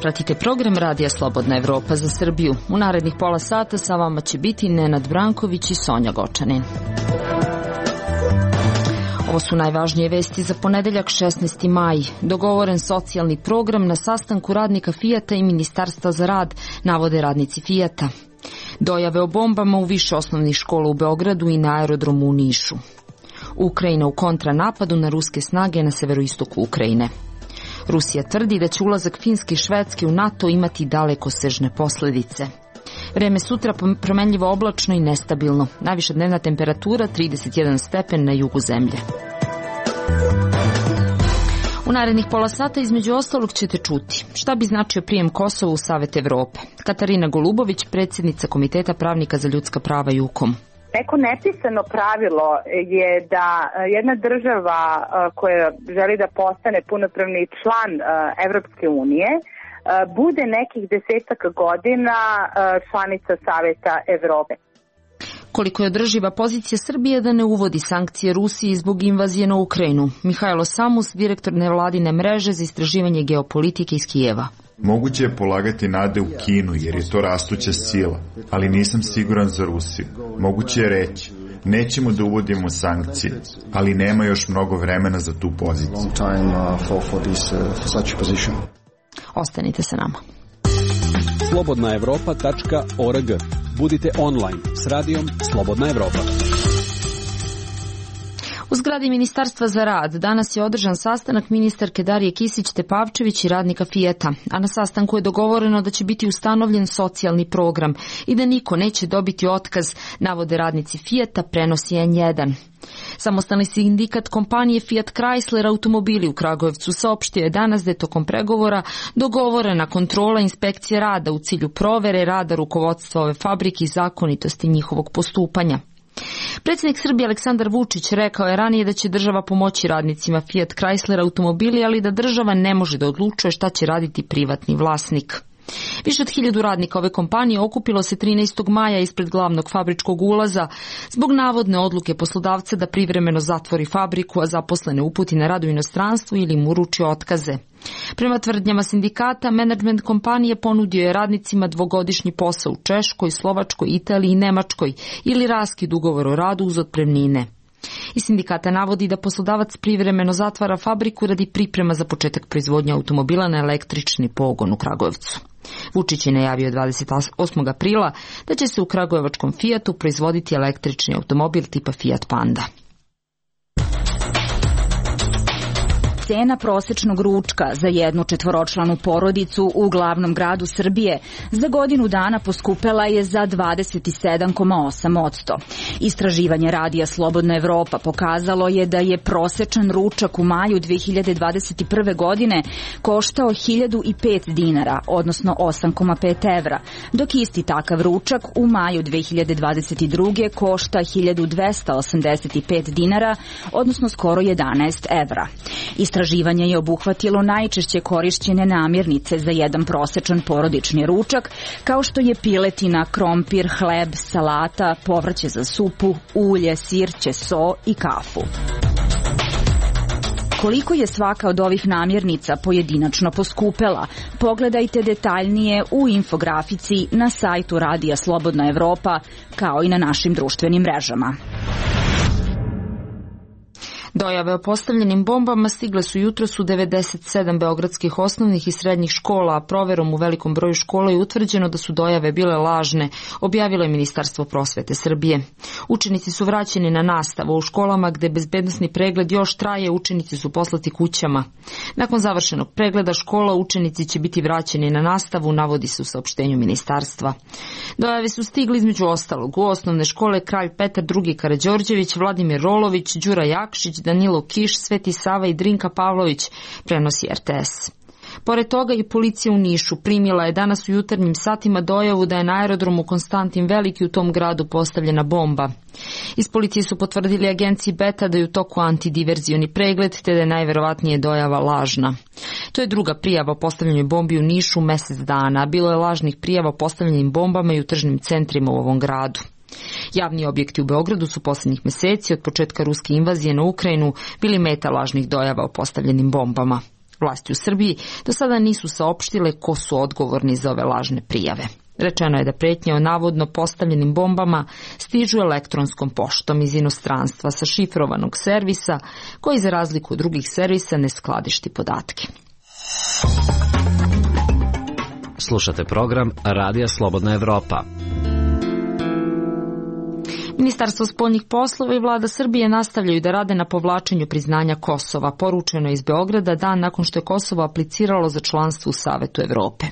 Pratite program Radija Slobodna Evropa za Srbiju. U narednih pola sata sa vama će biti Nenad Branković i Sonja Gočanin. Ovo su najvažnije vesti za ponedeljak 16. maj. Dogovoren socijalni program na sastanku radnika Fijata i Ministarstva za rad, navode radnici Fijata. Dojave o bombama u više osnovnih škola u Beogradu i na aerodromu u Nišu. Ukrajina u kontranapadu na ruske snage na severoistoku Ukrajine. Rusija tvrdi da će ulazak Finske i Švedske u NATO imati dalekosežne posledice. Vreme sutra promenljivo oblačno i nestabilno. Najviša dnevna temperatura 31 stepen na jugu zemlje. U narednih pola sata između ostalog ćete čuti šta bi značio prijem Kosova u Savet Evrope. Katarina Golubović, predsjednica Komiteta pravnika za ljudska prava JUKOM. Neko nepisano pravilo je da jedna država koja želi da postane punopravni član Evropske unije bude nekih 10 godina članica Saveta Evrope. Koliko je održiva pozicija Srbije da ne uvodi sankcije Rusiji zbog invazije na Ukrajinu? Mihajlo Samus, direktor nevladine mreže za istraživanje geopolitike iz Kijeva. Moguće je polagati nade u Kinu jer je to rastuća sila, ali nisam siguran za Rusiju. Moguće je reći, nećemo da uvodimo sankcije, ali nema još mnogo vremena za tu poziciju. Ostanite sa nama. slobodnaevropa.org. Budite online s radijom Slobodna Evropa. U zgradi Ministarstva za rad danas je održan sastanak ministarke Darije Kisić-Tepavčević i radnika Fijata, a na sastanku je dogovoreno da će biti ustanovljen socijalni program i da niko neće dobiti otkaz, navode radnici Fijata, prenosi N1. Samostalni sindikat kompanije Fiat Chrysler automobili u Kragujevcu saopštio je danas da je tokom pregovora dogovorena kontrola inspekcije rada u cilju provere rada rukovodstva ove fabrike i zakonitosti njihovog postupanja. Predsjednik Srbije Aleksandar Vučić rekao je ranije da će država pomoći radnicima Fiat Chrysler automobili, ali da država ne može da odlučuje šta će raditi privatni vlasnik. Više od 1000 radnika ove kompanije okupilo se 13. maja ispred glavnog fabričkog ulaza zbog navodne odluke poslodavca da privremeno zatvori fabriku, a zaposlene uputi na rad u inostranstvu ili im uruči otkaze. Prema tvrdnjama sindikata, menadžment kompanije ponudio je radnicima 2-godišnji posao u Češkoj, Slovačkoj, Italiji i Nemačkoj ili raskid ugovora o radu uz otpremnine. I sindikata navodi da poslodavac privremeno zatvara fabriku radi priprema za početak proizvodnje automobila na električni pogon u Kragujevcu. Vučić je najavio 28. aprila da će se u kragujevačkom Fijatu proizvoditi električni automobil tipa Fiat Panda. Cena prosečnog ručka za jednu četvoročlanu porodicu u glavnom gradu Srbije za godinu dana poskupela je za 27,8%. Istraživanje Radija Slobodna Evropa pokazalo je da je prosečan ručak u maju 2021. godine koštao 1005 dinara, odnosno 8,5 evra, dok isti takav ručak u maju 2022. košta 1285 dinara, odnosno skoro 11 evra. Istraživanje je obuhvatilo najčešće korišćene namirnice za jedan prosečan porodični ručak, kao što je piletina, krompir, hleb, salata, povrće za supu, ulje, sir, ćeso i kafu. Koliko je svaka od ovih namirnica pojedinačno poskupela? Pogledajte detaljnije u infografici na sajtu Radija Slobodna Evropa, kao i na našim društvenim mrežama. Dojave o postavljenim bombama stigle su jutros u 97 beogradskih osnovnih i srednjih škola, a proverom u velikom broju škola je utvrđeno da su dojave bile lažne, objavilo je Ministarstvo prosvete Srbije. Učenici su vraćeni na nastavu u školama gde bezbednosni pregled još traje, učenici su poslati kućama. Nakon završenog pregleda škola učenici će biti vraćeni na nastavu, navodi se u saopštenju ministarstva. Dojave su stigli između ostalog u osnovne škole Kralj Petar II Karađorđević, Vladimir Rolović, Đura Jakšić, Danilo Kiš, Sveti Sava i Drinka Pavlović, prenosi RTS. Pored toga i policija u Nišu primila je danas u jutarnjim satima dojavu da je na aerodromu Konstantin Veliki u tom gradu postavljena bomba. Iz policije su potvrdili agenciji Beta da je u toku antidiverzioni pregled, te da je najverovatnije dojava lažna. To je druga prijava o postavljanju bombi u Nišu mesec dana. Bilo je lažnih prijava o postavljenim bombama i u tržnim centrima u ovom gradu. Javni objekti u Beogradu su posljednjih meseci od početka ruske invazije na Ukrajinu bili meta lažnih dojava o postavljenim bombama. Vlasti u Srbiji do sada nisu saopštile ko su odgovorni za ove lažne prijave. Rečeno je da pretnje o navodno postavljenim bombama stižu elektronskom poštom iz inostranstva sa šifrovanog servisa koji za razliku od drugih servisa ne skladišti podatke. Slušate program Radija Slobodna Evropa. Ministarstvo spoljnih poslova i vlada Srbije nastavljaju da rade na povlačenju priznanja Kosova. Poručeno je iz Beograda dan nakon što je Kosovo apliciralo za članstvo u Savetu Evrope.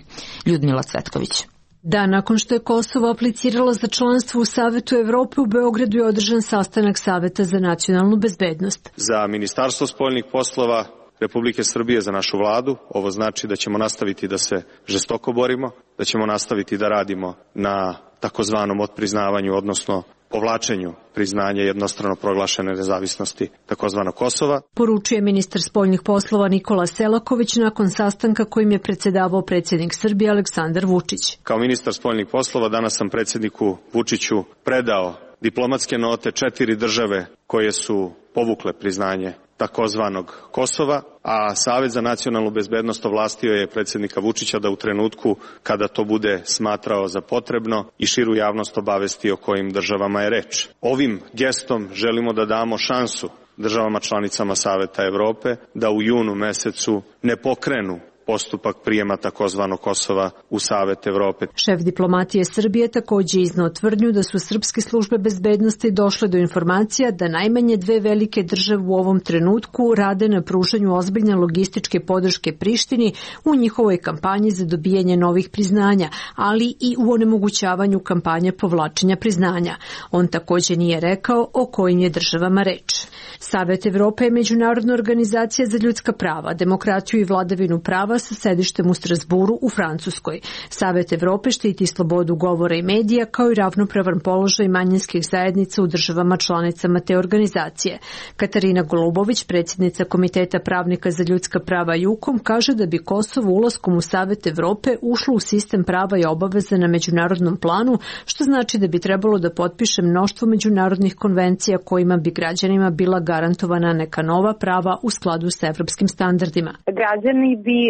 Ljudmila Cvetković. Dan nakon što je Kosovo apliciralo za članstvo u Savetu Evrope, u Beogradu je održan sastanak Saveta za nacionalnu bezbednost. Za Ministarstvo spoljnih poslova Republike Srbije, za našu vladu, ovo znači da ćemo nastaviti da se žestoko borimo, da ćemo nastaviti da radimo na takozvanom otpriznavanju, odnosno povlačenju priznanja jednostrano proglašene nezavisnosti takozvanog Kosova. Poručuje ministar spoljnih poslova Nikola Selaković nakon sastanka kojim je predsedavao predsjednik Srbije Aleksandar Vučić. Kao ministar spoljnih poslova danas sam predsjedniku Vučiću predao diplomatske note 4 države koje su povukle priznanje takozvanog Kosova, a Savet za nacionalnu bezbednost ovlastio je predsjednika Vučića da u trenutku kada to bude smatrao za potrebno i širu javnost obavesti o kojim državama je reč. Ovim gestom želimo da damo šansu državama članicama Saveta Evrope da u junu mesecu ne pokrenu postupak prijema takozvanog Kosova u Savet Evrope. Šef diplomatije Srbije takođe izneo tvrdnju da su srpske službe bezbednosti došle do informacija da najmanje 2 velike države u ovom trenutku rade na pružanju ozbiljne logističke podrške Prištini u njihovoj kampanji za dobijanje novih priznanja, ali i u onemogućavanju kampanje povlačenja priznanja. On takođe nije rekao o kojim je državama reč. Savet Evrope je međunarodna organizacija za ljudska prava, demokratiju i vladavinu prava sa sedištem u Strasburu u Francuskoj. Savet Evrope štiti slobodu govora i medija kao i ravnopravan položaj manjinskih zajednica u državama članicama te organizacije. Katarina Golubović, predsjednica Komiteta pravnika za ljudska prava JUKOM, kaže da bi Kosovo ulaskom u Savet Evrope ušlo u sistem prava i obaveza na međunarodnom planu, što znači da bi trebalo da potpiše mnoštvo međunarodnih konvencija kojima bi građanima bila garantovana neka nova prava u skladu sa evropskim standardima. Građani bi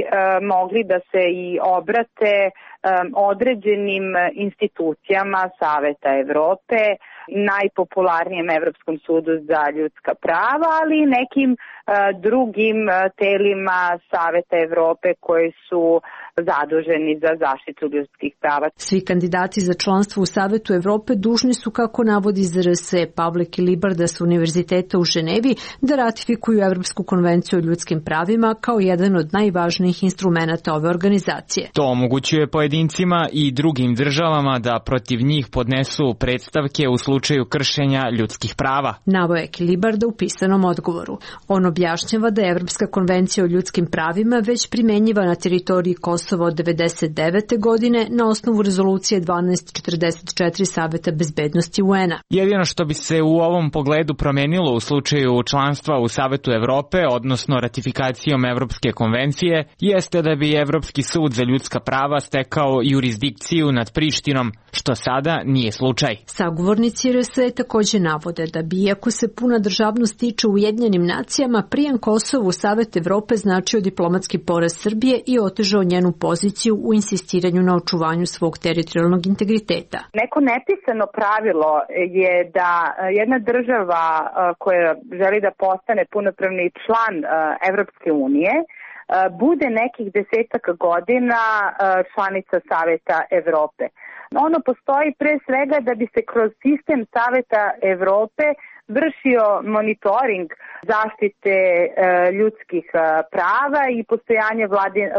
mogli da se i obrate određenim institucijama Saveta Evrope, najpopularnijem Evropskom sudu za ljudska prava, ali i nekim drugim telima Saveta Evrope koji su zaduženi za zaštitu ljudskih prava. Svi kandidati za članstvo u Savetu Evrope dužni su, kako navodi ZRS Pavle Kilibarda sa Univerziteta u Ženevi, da ratifikuju Evropsku konvenciju o ljudskim pravima kao jedan od najvažnijih instrumenata ove organizacije. To omogućuje pojedincima i drugim državama da protiv njih podnesu predstavke u slučaju kršenja ljudskih prava. Naveo je Kilibarda u pisanom odgovoru. On objašnjava da je Evropska konvencija o ljudskim pravima već primenjiva na teritoriji Kosova od 1999. godine na osnovu rezolucije 1244 Saveta bezbednosti UN-a. Jedino što bi se u ovom pogledu promenilo u slučaju članstva u Savetu Evrope, odnosno ratifikacijom Evropske konvencije, jeste da bi Evropski sud za ljudska prava stekao jurisdikciju nad Prištinom, što sada nije slučaj. Sagovornici RS takođe navode da bi, iako se puna državnost tiče Ujedinjenim nacijama, prijem Kosovu u Savet Evrope značio diplomatski poraz Srbije i otežao njenu poziciju u insistiranju na očuvanju svog teritorijalnog integriteta. Neko nepisano pravilo je da jedna država koja želi da postane punopravni član Evropske unije bude nekih 10 godina članica Saveta Evrope. Ono postoji pre svega da bi se kroz sistem Saveta Evrope vršio monitoring zaštite ljudskih prava i postojanje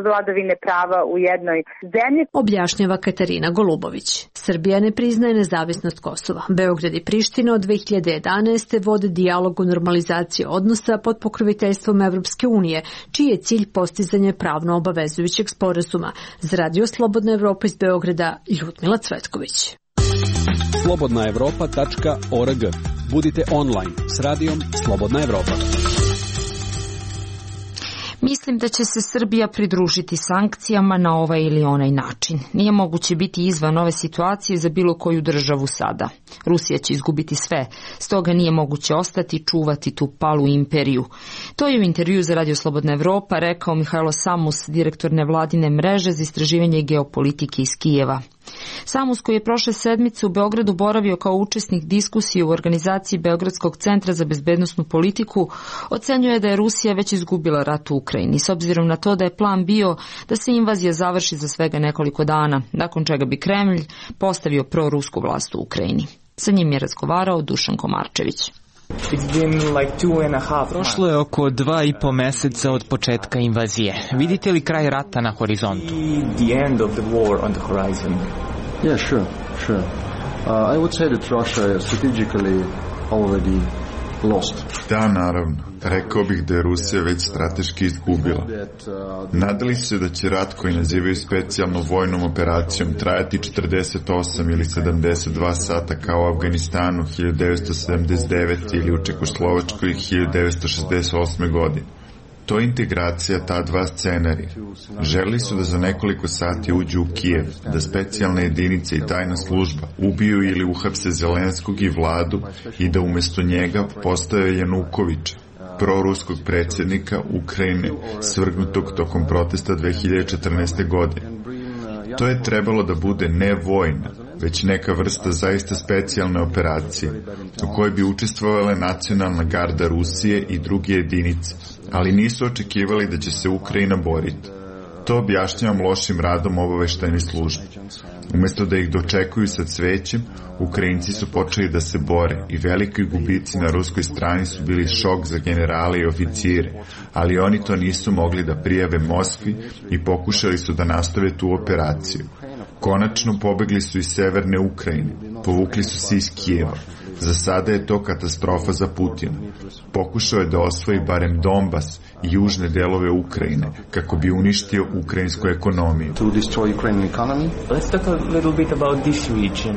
vladavine prava u jednoj zemlji. Objašnjava Katarina Golubović. Srbija ne priznaje nezavisnost Kosova. Beograd i Priština od 2011. vode dijalog o normalizaciji odnosa pod pokroviteljstvom Evropske unije, čiji je cilj postizanje pravno obavezujućeg sporazuma. Za Radio Slobodna Evropa iz Beograda, Ljudmila Cvetković. slobodnaevropa.org. Budite online s radijom Slobodna Evropa. Mislim da će se Srbija pridružiti sankcijama na ovaj ili onaj način. Nije moguće biti izvan ove situacije za bilo koju državu sada. Rusija će izgubiti sve, stoga nije moguće ostati čuvati tu palu imperiju. To je u intervju za Radio Slobodna Evropa rekao Mihajlo Samus, direktor nevladine mreže za istraživanje geopolitike iz Kijeva. Samus, koji je prošle sedmice u Beogradu boravio kao učesnik diskusije u organizaciji Beogradskog centra za bezbednosnu politiku, ocenjuje da je Rusija već izgubila rat u Ukrajini, s obzirom na to da je plan bio da se invazija završi za svega nekoliko dana, nakon čega bi Kremlj postavio prorusku vlast u Ukrajini. Sa njim je razgovarao Dušan Komarčević. Prošlo je oko 2,5 meseca od početka invazije. Vidite li kraj rata na horizontu? Yeah, sure. I would say that Russia is strategically already lost. Da, naravno. Rekao bih da je Rusija već strateški izgubila. Nadali su se da će rat koji nazivaju specijalnom vojnom operacijom trajati 48 ili 72 sata kao u Afganistanu 1979 ili u Čekoslovačkoj 1968. godine. To je integracija ta dva scenarija. Želeli su da za nekoliko sati uđu u Kijev, da specijalne jedinice i tajna služba ubiju ili uhapse Zelenskog i vladu i da umjesto njega postave Janukovića, proruskog predsjednika Ukrajine, svrgnutog tokom protesta 2014. godine. To je trebalo da bude ne vojna, već neka vrsta zaista specijalne operacije, u kojoj bi učestvovale nacionalna garda Rusije i druge jedinice, ali nisu očekivali da će se Ukrajina boriti. To objašnjavam lošim radom obaveštajne službe. Umjesto da ih dočekuju sa cvećem, Ukrajinci su počeli da se bore i veliki gubici na ruskoj strani su bili šok za generale i oficire, ali oni to nisu mogli da prijave Moskvi i pokušali su da nastave tu operaciju. Konačno pobegli su iz severne Ukrajine, povukli su se iz Kijeva. Za sada je to katastrofa za Putina. Pokušao je da osvoji barem Donbas i južne delove Ukrajine, kako bi uništio ukrajinsku ekonomiju.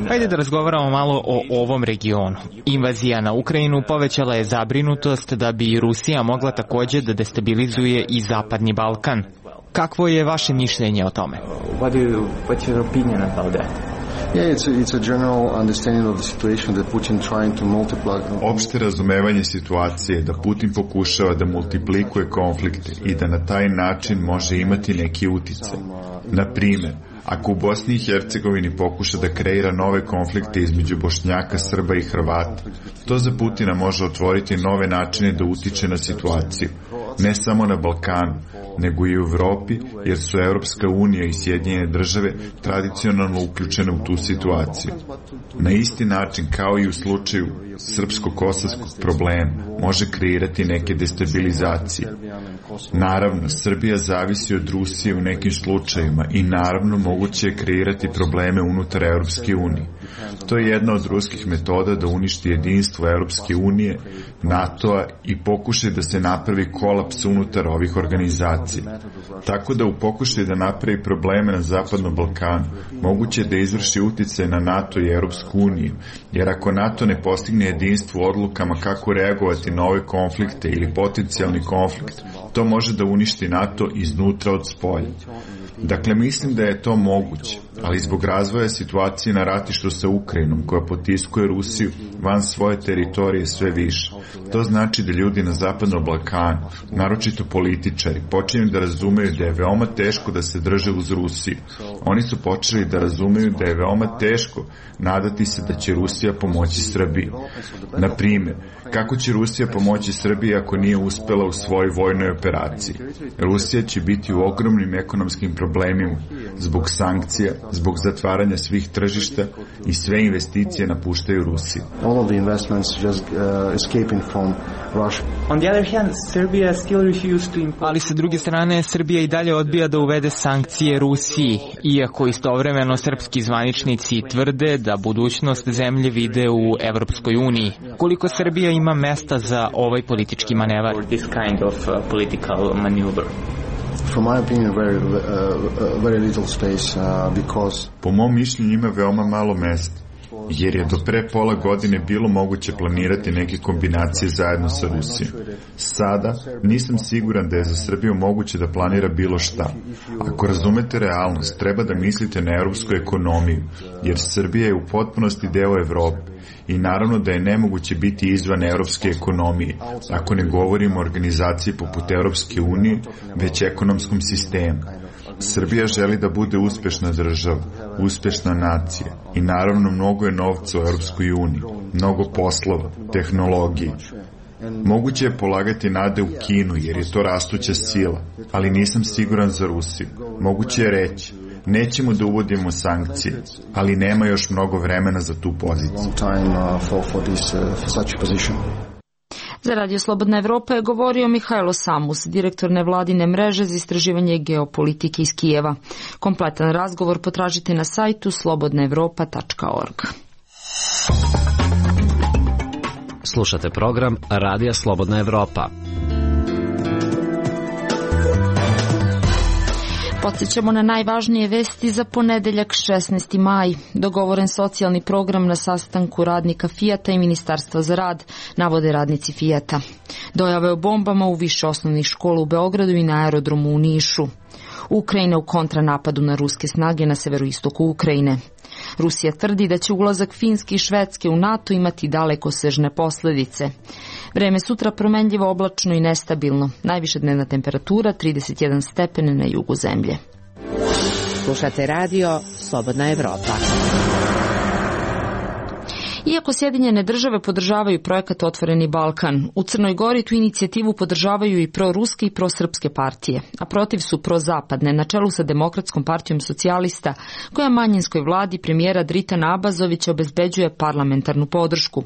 Hajde da razgovaramo malo o ovom regionu. Invazija na Ukrajinu povećala je zabrinutost da bi Rusija mogla također da destabilizuje i Zapadni Balkan. Kakvo je vaše mišljenje o tome? What's your opinion about that? Yeah, it's a general understanding of the situation that Putin trying to multiply. Opšte razumevanje situacije da Putin pokušava da multiplikuje konflikte i da na taj način može imati neki uticaj. Na primjer, ako u Bosni i Hercegovini pokuša da kreira nove konflikte između Bošnjaka, Srba i Hrvata, to za Putina može otvoriti nove načine da utiče na situaciju, ne samo na Balkanu, nego i u Evropi, jer su Evropska unija i Sjedinjene države tradicionalno uključene u tu situaciju. Na isti način kao i u slučaju srpsko-kosovskog problema može kreirati neke destabilizacije. Naravno, Srbija zavisi od Rusije u nekim slučajima i naravno moguće je kreirati probleme unutar Evropske unije. To je jedna od ruskih metoda da uništi jedinstvo Evropske unije, NATO-a i pokušaj da se napravi kolaps unutar ovih organizacija. Tako da u pokušaju da napravi probleme na Zapadnom Balkanu, moguće je da izvrši uticaj na NATO i Evropsku uniju, jer ako NATO ne postigne jedinstvo u odlukama kako reagovati na ove konflikte ili potencijalni konflikt, to može da uništi NATO iznutra od spolja. Dakle, mislim da je to moguće, ali zbog razvoja situacije na ratištu sa Ukrajinom, koja potiskuje Rusiju van svoje teritorije sve više. To znači da ljudi na Zapadnom Balkanu, naročito političari, počinju da razumeju da je veoma teško da se drže uz Rusiju. Oni su počeli da razumeju da je veoma teško nadati se da će Rusija pomoći Srbiji. Na primjer, kako će Rusija pomoći Srbiji ako nije uspela u svojoj vojnoj operaciji? Rusija će biti u ogromnim ekonomskim problemima zbog sankcija, zbog zatvaranja svih tržišta i sve investicije napuštaju Rusiju. All of the investments just escaping from Russia. On the other hand, Serbia still refused to impose. Ali sa druge strane, Srbija i dalje odbija da uvede sankcije Rusiji, iako istovremeno srpski zvaničnici tvrde da budućnost zemlje vide u Evropskoj uniji. Koliko Srbija ima mesta za ovaj politički manevar? This kind of political maneuver. From my opinion, very little space because. Po mom mišljenju ima veoma malo mesta, jer je do pre pola godine bilo moguće planirati neke kombinacije zajedno sa Rusijom. Sada nisam siguran da je za Srbiju moguće da planira bilo šta. Ako razumete realnost, treba da mislite na europsku ekonomiju, jer Srbija je u potpunosti deo Evrope i naravno da je nemoguće biti izvan evropske ekonomije, ako ne govorimo o organizaciji poput Evropske unije, već ekonomskom sistemu. Srbija želi da bude uspešna država, uspešna nacija i naravno mnogo je novca u Evropskoj uniji, mnogo poslova, tehnologije. Moguće je polagati nade u Kinu jer je to rastuća sila, ali nisam siguran za Rusiju. Moguće je reći, nećemo da uvodimo sankcije, ali nema još mnogo vremena za tu poziciju. Za Radio Slobodna Evropa je govorio Mihajlo Samus, direktor nevladine mreže za istraživanje geopolitike iz Kijeva. Kompletan razgovor potražite na sajtu slobodnaevropa.org. Slušate program Radija Slobodna Evropa. Podsjećamo na najvažnije vesti za ponedeljak 16. maj. Dogovoren socijalni program na sastanku radnika Fijata i Ministarstva za rad, navode radnici Fijata. Dojave o bombama u više osnovnih škola u Beogradu i na aerodromu u Nišu. Ukrajina u kontranapadu na ruske snage na severoistoku Ukrajine. Rusija tvrdi da će ulazak Finske i Švedske u NATO imati dalekosežne posledice. Vreme sutra promenljivo, oblačno i nestabilno. Najviša dnevna temperatura 31 stepen na jugu zemlje. Slušate radio Slobodna Evropa. Iako Sjedinjene države podržavaju projekat Otvoreni Balkan, u Crnoj Gori tu inicijativu podržavaju i proruske i prosrpske partije, a protiv su prozapadne, na čelu sa Demokratskom partijom socijalista, koja manjinskoj vladi premijera Dritana Abazovića obezbeđuje parlamentarnu podršku.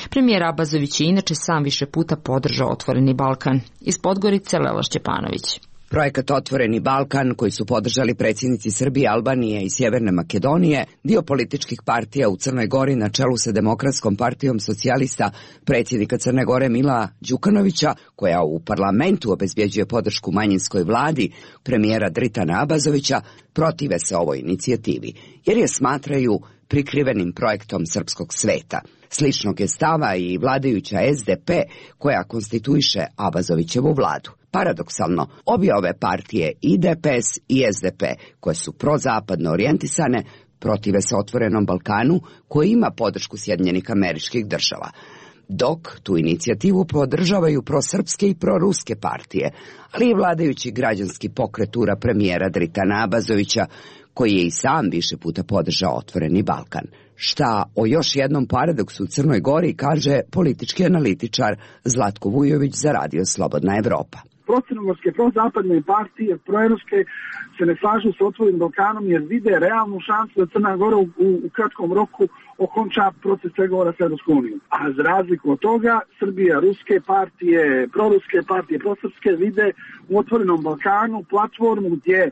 Premijer Abazović je inače sam više puta podržao Otvoreni Balkan. Iz Podgorice Lela Šćepanović. Projekat Otvoreni Balkan, koji su podržali predsjednici Srbije, Albanije i Sjeverne Makedonije, dio političkih partija u Crnoj Gori na čelu sa Demokratskom partijom socijalista predsjednika Crne Gore Mila Đukanovića, koja u parlamentu obezbjeđuje podršku manjinskoj vladi premijera Dritana Abazovića, protive se ovoj inicijativi, jer je smatraju prikrivenim projektom srpskog sveta. Sličnog je stava i vladajuća SDP, koja konstituiše Abazovićevu vladu. Paradoksalno, obje ove partije, i DPS i SDP, koje su prozapadno orijentisane, protive se Otvorenom Balkanu, koji ima podršku Sjedinjenih Američkih Država. Dok tu inicijativu podržavaju prosrpske i proruske partije, ali i vladajući građanski pokret ura premijera Dritana Abazovića, koji je i sam više puta podržao Otvoreni Balkan. Šta o još jednom paradoksu u Crnoj Gori kaže politički analitičar Zlatko Vujović za Radio Slobodna Evropa. Procrnogorske, prozapadne partije, proevropske se ne slažu sa Otvorenim Balkanom jer vide realnu šansu da Crna Gora u kratkom roku okonča proces pregovora sa Evropskom unijom. A za razliku od toga, Srbija, ruske partije, proruske partije, prosrpske vide u Otvorenom Balkanu platformu gdje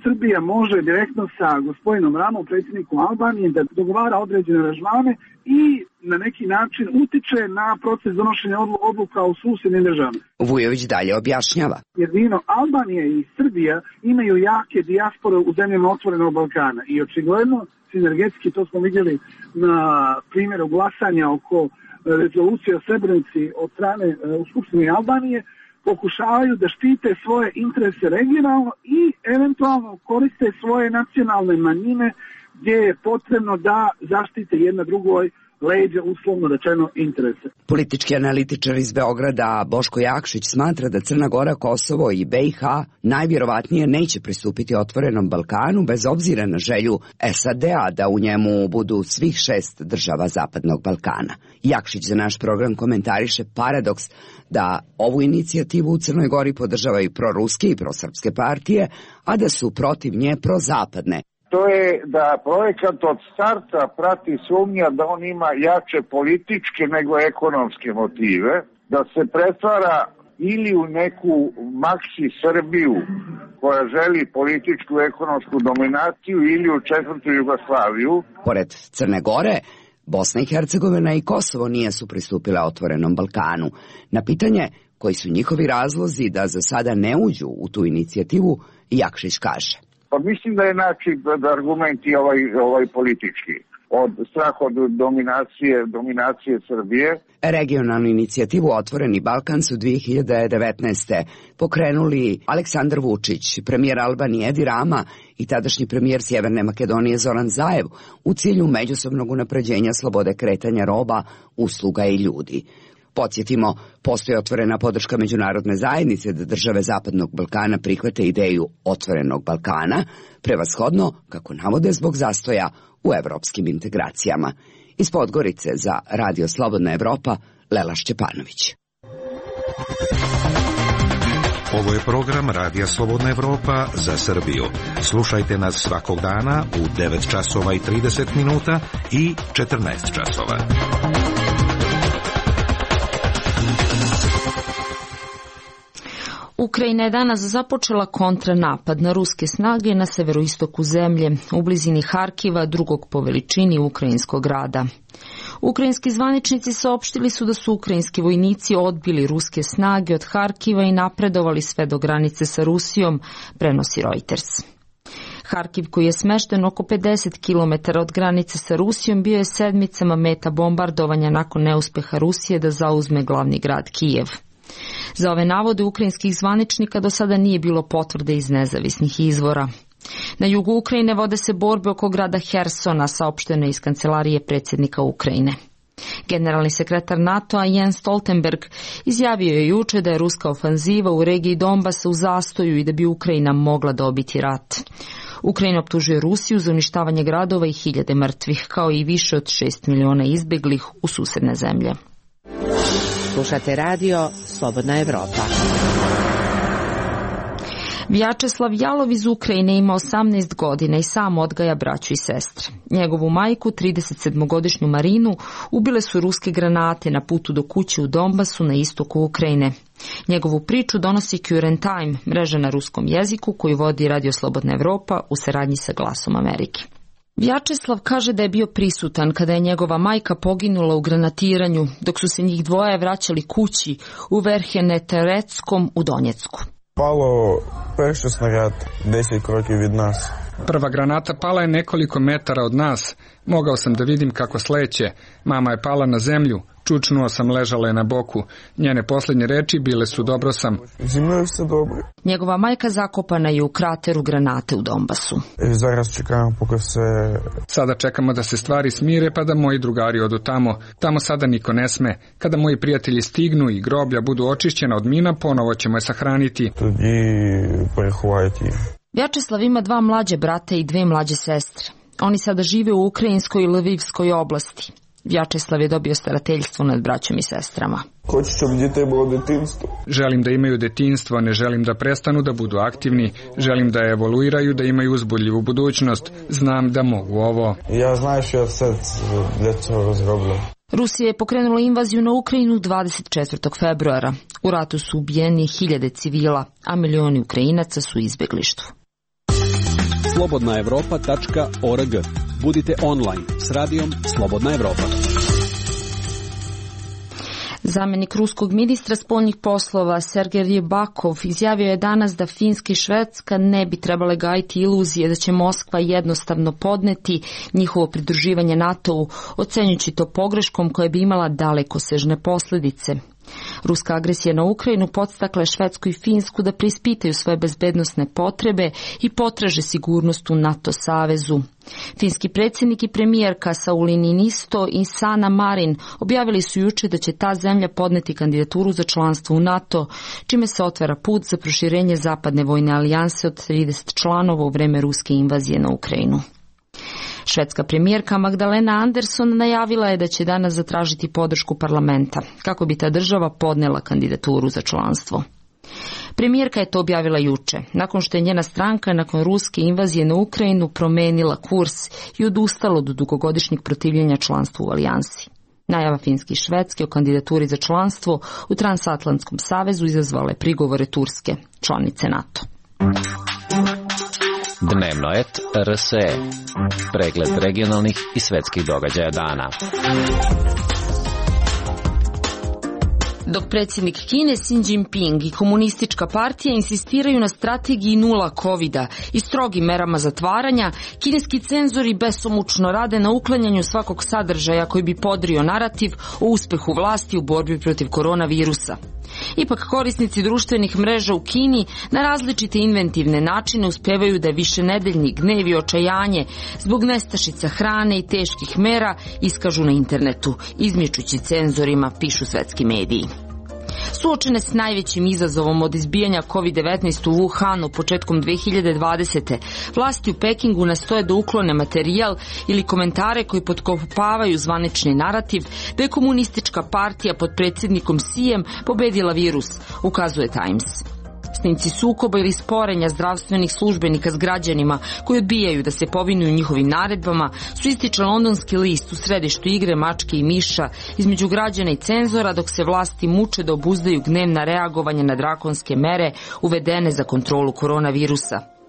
Srbija može direktno sa gospodinom Ramom, predsjednikom Albanije, da dogovara određene aranžmane i na neki način utiče na proces donošenja odluka u susjednim državama. Vujović dalje objašnjava. Jedino Albanija i Srbija imaju jake dijaspore u zemljama Otvorenog Balkana i očigledno sinergetski, to smo vidjeli na primjeru glasanja oko rezolucije o Srebrenici od strane u Skupštini Albanije, pokušavaju da štite svoje interese regionalno i eventualno koriste svoje nacionalne manjine gdje je potrebno da zaštite jedna drugoj leđa, uslovno rečeno, interese. Politički analitičar iz Beograda Boško Jakšić smatra da Crna Gora, Kosovo i BiH najvjerovatnije neće pristupiti Otvorenom Balkanu bez obzira na želju SAD-a da u njemu budu svih 6 država Zapadnog Balkana. Jakšić za naš program komentariše paradoks da ovu inicijativu u Crnoj Gori podržavaju proruske i prosrpske partije, a da su protiv nje prozapadne. To je da projekat od starta prati sumnja da on ima jače političke nego ekonomske motive, da se pretvara ili u neku maksi Srbiju koja želi političku ekonomsku dominaciju ili u četvrtu Jugoslaviju. Pored Crne Gore, Bosna i Hercegovina i Kosovo nisu pristupile Otvorenom Balkanu. Na pitanje koji su njihovi razlozi da za sada ne uđu u tu inicijativu, Jakšić kaže. Pa mislim da je argument i ovaj politički. Od strah od dominacije Srbije. Regionalnu inicijativu Otvoreni Balkan su 2019. pokrenuli Aleksandar Vučić, premijer Albanije Edi Rama i tadašnji premijer Sjeverne Makedonije Zoran Zaev u cilju međusobnog unapređenja slobode kretanja roba, usluga i ljudi. Podsjetimo, postoji otvorena podrška međunarodne zajednice da države Zapadnog Balkana prihvate ideju Otvorenog Balkana, prevashodno, kako navode, zbog zastoja u evropskim integracijama. Iz Podgorice za Radio Slobodna Evropa, Lela Šćepanović. Ovo je program Radija Slobodna Evropa za Srbiju. Slušajte nas svakog dana u 9 časova i 30 minuta i 14 časova. Ukrajina je danas započela kontranapad na ruske snage na severoistoku zemlje, u blizini Harkiva, drugog po veličini ukrajinskog grada. Ukrajinski zvaničnici saopštili su da su ukrajinski vojnici odbili ruske snage od Harkiva i napredovali sve do granice sa Rusijom, prenosi Reuters. Harkiv, koji je smešten oko 50 km od granice sa Rusijom, bio je sedmicama meta bombardovanja nakon neuspeha Rusije da zauzme glavni grad Kijev. Za ove navode ukrajinskih zvaničnika do sada nije bilo potvrde iz nezavisnih izvora. Na jugu Ukrajine vode se borbe oko grada Hersona, saopšteno iz kancelarije predsjednika Ukrajine. Generalni sekretar NATO-a Jens Stoltenberg izjavio je juče da je ruska ofanziva u regiji Donbasa u zastoju i da bi Ukrajina mogla dobiti rat. Ukrajina optužuje Rusiju za uništavanje gradova i 1000 mrtvih, kao i više od 6 miliona izbeglih u susedne zemlje. Slušate radio Slobodna Evropa. Vjačeslav Jalov iz Ukrajine ima 18 godina i sam odgaja braću i sestre. Njegovu majku, 37-godišnju Marinu, ubile su ruske granate na putu do kuće u Donbasu na istoku Ukrajine. Njegovu priču donosi Current Time, mreža na ruskom jeziku koju vodi Radio Slobodna Evropa u saradnji sa Glasom Amerike. Vjačeslav kaže da je bio prisutan kada je njegova majka poginula u granatiranju, dok su se njih dvoje vraćali kući u Verhenetereckom u Donjecku. Palo перший снаряд 10 кроків від нас. Prva granata pala je nekoliko metara od nas. Mogao sam da vidim kako sleće. Mama je pala na zemlju. Čučnuo sam, ležala je na boku. Njene posljednje reči bile su dobro sam. Зі мною все добре. Njegova majka zakopana je u krateru granate u Donbasu. Зараз čekamo поки все... Sada čekamo da se stvari smire pa da moji drugari odu tamo. Tamo sada niko ne sme. Kada moji prijatelji stignu i groblja budu očišćena od mina, ponovo ćemo je sahraniti. Тоді переховають їх. Vjačeslav ima 2 mlađe brate i 2 mlađe sestre. Oni sada žive u Ukrajinskoj i Lvivskoj oblasti. Vjačeslav je dobio starateljstvo nad braćom i sestrama. Хочу, щоб дітей було дитинство. Želim da imaju detinjstvo, ne želim da prestanu da budu aktivni, želim da evoluiraju, da imaju uzbudljivu budućnost. Znam da mogu ovo. Я знаю, що я все для цього зроблю. Rusija je pokrenula invaziju na Ukrajinu 24. februara. U ratu su ubijeni 1000 civila, a milioni Ukrajinaca su u izbeglištvu. slobodnaevropa.org. Budite online s radijom Slobodna Evropa. Zamenik ruskog ministra spoljnih poslova Sergej Rybakov izjavio je danas da Finska i Švedska ne bi trebale gajiti iluzije da će Moskva jednostavno podneti njihovo pridruživanje NATO-u, ocenjujući to pogreškom koja bi imala dalekosežne posljedice. Ruska agresija na Ukrajinu podstakla je Švedsku i Finsku da preispitaju svoje bezbednosne potrebe i potraže sigurnost u NATO savezu. Finski predsjednik i premijerka Sauli Niinisto i Sanna Marin objavili su juče da će ta zemlja podneti kandidaturu za članstvo u NATO, čime se otvara put za proširenje zapadne vojne alijanse od 30 članova u vreme ruske invazije na Ukrajinu. Švedska premijerka Magdalena Andersson najavila je da će danas zatražiti podršku parlamenta, kako bi ta država podnela kandidaturu za članstvo. Premijerka je to objavila juče, nakon što je njena stranka nakon ruske invazije na Ukrajinu promenila kurs i odustala od dugogodišnjeg protivljenja članstvu u alijansi. Najava Finske i Švedske o kandidaturi za članstvo u Transatlantskom savezu izazvala je prigovore Turske, članice NATO. Dnevno et RSE. Pregled regionalnih i svetskih događaja dana. Dok predsjednik Kine Xi Jinping i komunistička partija insistiraju na strategiji nula covida i strogim merama zatvaranja, kineski cenzori besomučno rade na uklanjanju svakog sadržaja koji bi podrio narativ o uspehu vlasti u borbi protiv koronavirusa. Ipak korisnici društvenih mreža u Kini na različite inventivne načine uspevaju da višenedeljni gnev i očajanje zbog nestašica hrane i teških mera iskažu na internetu, izmičući cenzorima, pišu svetski mediji. Suočene s najvećim izazovom od izbijanja COVID-19 u Wuhanu početkom 2020. vlasti u Pekingu nastoje da uklone materijal ili komentare koji potkopavaju zvanični narativ da je komunistička partija pod predsjednikom Xijem pobedila virus, ukazuje Times. Snimci sukoba ili sporenja zdravstvenih službenika s građanima koji odbijaju da se povinuju njihovim naredbama su ističe londonski list u središtu igre mačke i miša između građana i cenzora dok se vlasti muče da obuzdaju gnevna reagovanja na drakonske mere uvedene za kontrolu koronavirusa.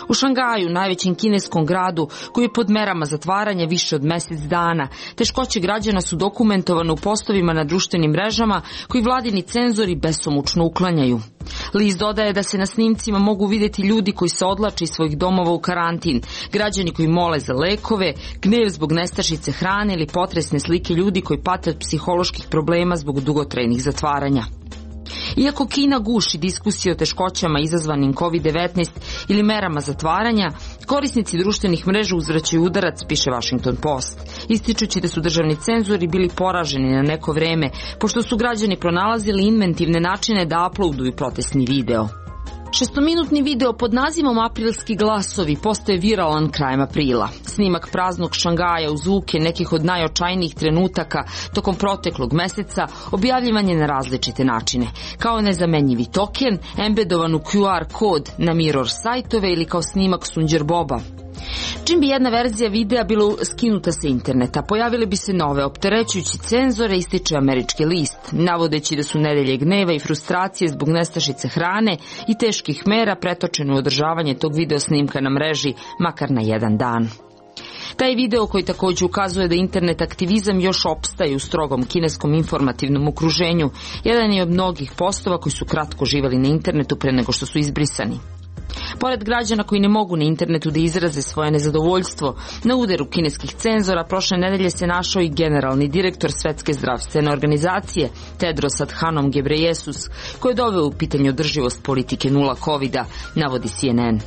U Šangaju, najvećem kineskom gradu, koji je pod merama zatvaranja više od mjesec dana, teškoće građana su dokumentovane u postovima na društvenim mrežama koji vladini cenzori besomučno uklanjaju. List dodaje da se na snimcima mogu vidjeti ljudi koji se odlače iz svojih domova u karantin, građani koji mole za lekove, gnev zbog nestašice hrane ili potresne slike ljudi koji pate od psiholoških problema zbog dugotrajnih zatvaranja. Iako Kina guši diskusije o teškoćama izazvanim COVID-19 ili merama zatvaranja, korisnici društvenih mreža uzvraćaju udarac, piše Washington Post, ističući da su državni cenzori bili poraženi na neko vreme, pošto su građani pronalazili inventivne načine da uploaduju protestni video. Šestominutni video pod nazivom Aprilski glasovi postaje viralan krajem aprila. Snimak praznog Šangaja uz zvuke nekih od najočajnijih trenutaka tokom proteklog meseca objavljivan je na različite načine, kao nezamenjivi token, embedovan u QR kod na mirror sajtove ili kao snimak Sunđer Boba. Čim bi jedna verzija videa bila skinuta sa interneta, pojavile bi se nove, opterećujući cenzore, ističe američki list, navodeći da su nedelje gneva i frustracije zbog nestašice hrane i teških mera pretočene u održavanje tog video snimka na mreži, makar na jedan dan. Taj video, koji također ukazuje da internet aktivizam još opstaje u strogom kineskom informativnom okruženju, jedan je od mnogih postova koji su kratko živjeli na internetu pre nego što su izbrisani. Pored građana koji ne mogu na internetu da izraze svoje nezadovoljstvo, na udaru kineskih cenzora prošle nedelje se našao i generalni direktor Svetske zdravstvene organizacije Tedros Adhanom Ghebreyesus, koji je doveo u pitanje održivost politike nula covida, navodi CNN.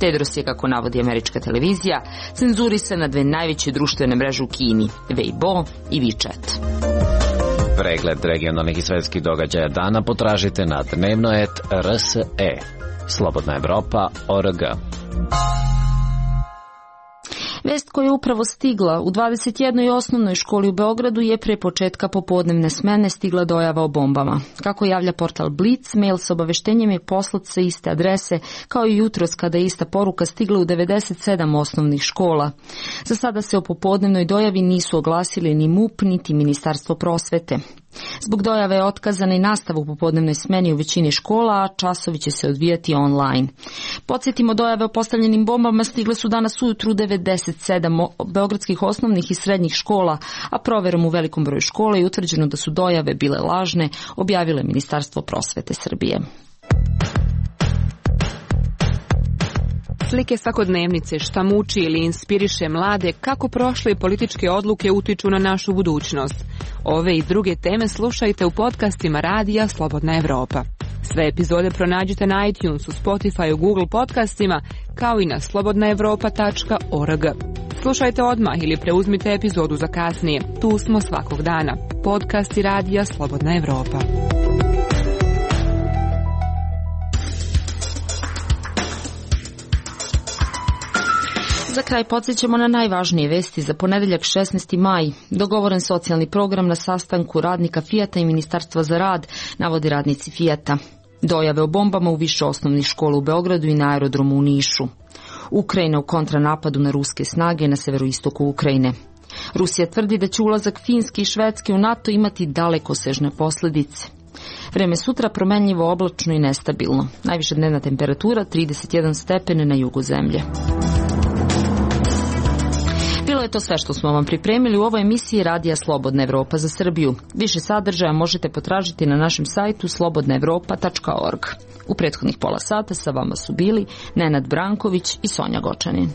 Tedros je, kako navodi američka televizija, cenzurisan na dve najveće društvene mreže u Kini, Weibo i WeChat. Pregled regionalnih i svetskih događaja dana potražite na dnevno.rs.e. Slobodna Evropa.org. Vest koja je upravo stigla u 21. osnovnoj školi u Beogradu je pre početka popodnevne smene stigla dojava o bombama. Kako javlja portal Blitz, mail sa obaveštenjem je poslat sa iste adrese, kao i jutros kada je ista poruka stigla u 97 osnovnih škola. Za sada se o popodnevnoj dojavi nisu oglasili ni MUP, niti Ministarstvo prosvete. Zbog dojave je otkazana i nastava u popodnevnoj smeni u većini škola, a časovi će se odvijati online. Podsjetimo, dojave o postavljenim bombama stigle su danas ujutru 97 beogradskih osnovnih i srednjih škola, a proverom u velikom broju škola je utvrđeno da su dojave bile lažne, objavilo je Ministarstvo prosvete Srbije. Slike svakodnevnice, šta muči ili inspiriše mlade, kako prošle političke odluke utiču na našu budućnost. Ove i druge teme slušajte u podcastima Radija Slobodna Evropa. Sve epizode pronađite na iTunesu, Spotify, Google podcastima, kao i na slobodnaevropa.org. Slušajte odmah ili preuzmite epizodu za kasnije. Tu smo svakog dana. Podcasti Radija Slobodna Evropa. Za kraj podsjećamo na najvažnije vesti za ponedeljak 16. maj. Dogovoren socijalni program na sastanku radnika Fijata i Ministarstva za rad, navodi radnici Fijata. Dojave o bombama u više osnovnih škola u Beogradu i na aerodromu u Nišu. Ukrajina u kontranapadu na ruske snage na severoistoku Ukrajine. Rusija tvrdi da će ulazak Finske i Švedske u NATO imati dalekosežne posljedice. Vreme sutra promenljivo, oblačno i nestabilno. Najviša dnevna temperatura 31 stepen na jugu zemlje. Bilo je to sve što smo vam pripremili u ovoj emisiji Radija Slobodna Evropa za Srbiju. Više sadržaja možete potražiti na našem sajtu slobodnaevropa.org. U prethodnih pola sata sa vama su bili Nenad Branković i Sonja Gočanin.